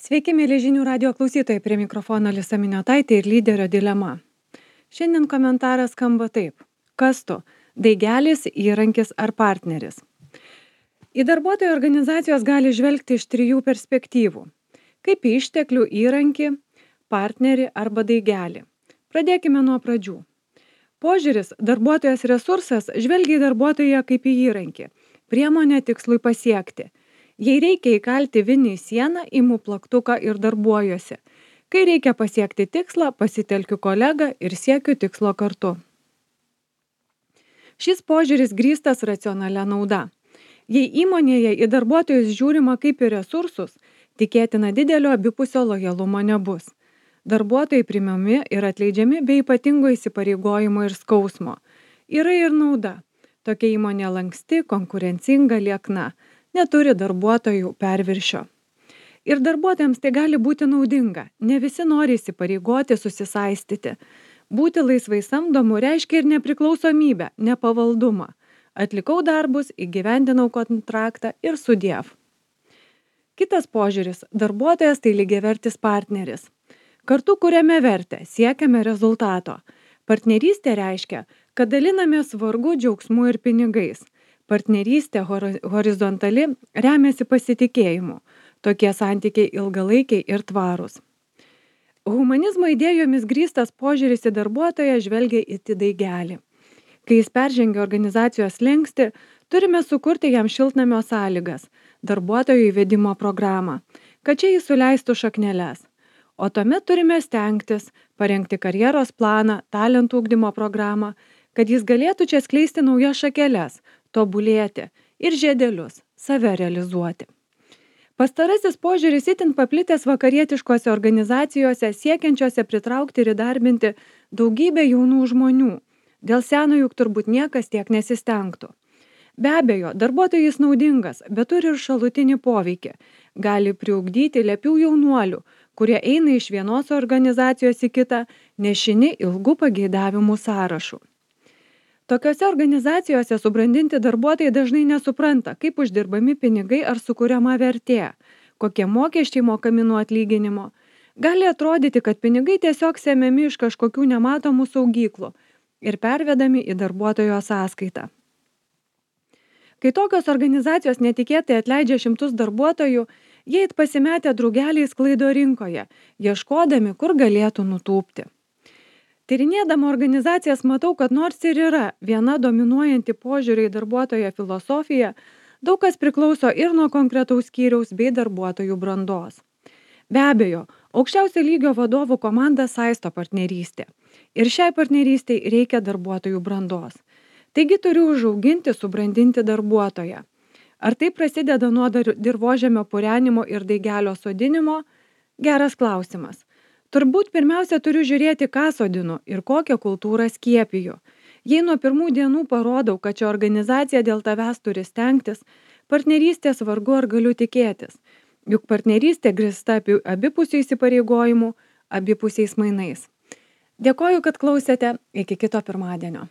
Sveiki, mėly žinių radio klausytojai, prie mikrofono Alisa Miniotaitė ir lyderio dilema. Šiandien komentaras skamba taip. Kas tu? Daigelis, įrankis ar partneris? Į darbuotojų organizacijos gali žvelgti iš trijų perspektyvų. Kaip į išteklių įrankį, partnerį arba daigelį. Pradėkime nuo pradžių. Požiūris darbuotojas resursas žvelgia į darbuotoją kaip į įrankį, priemonę tikslui pasiekti. Jei reikia įkalti vinį į sieną, imu plaktuką ir darbuojuosi. Kai reikia pasiekti tikslą, pasitelkiu kolegą ir siekiu tikslo kartu. Šis požiūris grįstas racionalia nauda. Jei įmonėje į darbuotojus žiūrima kaip į resursus, tikėtina didelio abipusio lojalumo nebus. Darbuotojai priimami ir atleidžiami be ypatingo įsipareigojimo ir skausmo. Yra ir nauda. Tokia įmonė lanksti, konkurencinga, liekna. Neturi darbuotojų perviršio. Ir darbuotojams tai gali būti naudinga. Ne visi nori įsipareigoti, susisaistyti. Būti laisvai samdomu reiškia ir nepriklausomybę, nepavaldumą. Atlikau darbus, įgyvendinau kontraktą ir sudiev. Kitas požiūris – darbuotojas tai lygiavertis partneris. Kartu kuriame vertę, siekiame rezultato. Partnerystė reiškia, kad dalinamės vargu, džiaugsmu ir pinigais. Partnerystė horizontali remiasi pasitikėjimu. Tokie santykiai ilgalaikiai ir tvarūs. Humanizmo idėjomis grįstas požiūris į darbuotoją žvelgia į daigelį. Kai jis peržengia organizacijos slenkstį, turime sukurti jam šiltnamio sąlygas, darbuotojų įvedimo programą, kad čia jis suleistų šakneles. O tuomet turime stengtis, parengti karjeros planą, talentų ugdymo programą, kad jis galėtų čia skleisti naujas šakeles, tobulėti ir žiedelius, save realizuoti. Pastarasis požiūris itin paplitęs vakarietiškose organizacijose, siekiančiose pritraukti ir įdarbinti daugybę jaunų žmonių. Dėl seno juk turbūt niekas tiek nesistengtų. Be abejo, darbuotojui jis naudingas, bet turi ir šalutinį poveikį. Gali priugdyti lepių jaunuolių, kurie eina iš vienos organizacijos į kitą, nešini ilgų pageidavimų sąrašų. Tokiose organizacijose subrandinti darbuotojai dažnai nesupranta, kaip uždirbami pinigai ar sukuriama vertė, kokie mokesčiai mokami nuo atlyginimo. Gali atrodyti, kad pinigai tiesiog semiami iš kažkokių nematomų saugyklų ir pervedami į darbuotojo sąskaitą. Kai tokios organizacijos netikėtai atleidžia šimtus darbuotojų, jie pasimetę drugeliais sklaido rinkoje, ieškodami, kur galėtų nutūpti. Tyrinėdama organizacijas matau, kad nors ir yra viena dominuojanti požiūrį į darbuotojo filosofiją, daug kas priklauso ir nuo konkretaus skyriaus bei darbuotojų brandos. Be abejo, aukščiausio lygio vadovų komanda saisto partnerystė. Ir šiai partnerystei reikia darbuotojų brandos. Taigi turiu užauginti, subrandinti darbuotoją. Ar tai prasideda nuo dirvožemio purenimo ir daigelio sodinimo? Geras klausimas. Turbūt pirmiausia turiu žiūrėti, ką sodinu ir kokią kultūrą skiepiju. Jei nuo pirmų dienų parodau, kad ši organizacija dėl tavęs turi stengtis, partnerystės vargu ar galiu tikėtis. Juk partnerystė grįsta abipusių įsipareigojimų, abipusiais mainais. Dėkoju, kad klausėte. Iki kito pirmadienio.